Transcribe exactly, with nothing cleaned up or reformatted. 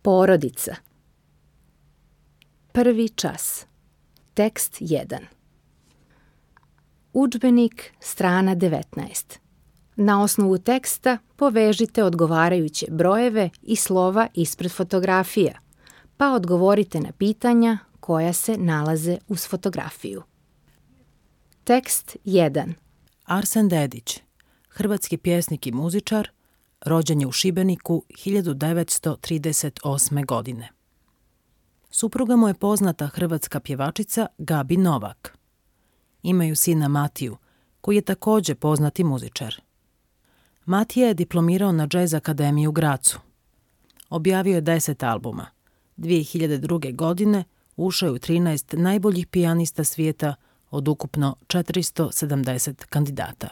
Porodica. Prvi čas. Tekst jedan. Udžbenik, strana devetnaest. Na osnovu teksta povežite odgovarajuće brojeve i slova ispred fotografija, pa odgovorite na pitanja koja se nalaze uz fotografiju. Tekst jedan. Arsen Dedić, hrvatski pjesnik i muzičar, rođen je u Šibeniku hiljadu devetsto trideset osme. godine. Supruga mu je poznata hrvatska pjevačica Gabi Novak. Imaju sina Matiju, koji je također poznati muzičar. Matija je diplomirao na Jazz Akademiji u Grazu. Objavio je deset albuma. dvije hiljade druge. godine ušao je u trinaest najboljih pijanista svijeta od ukupno četiristo sedamdeset kandidata.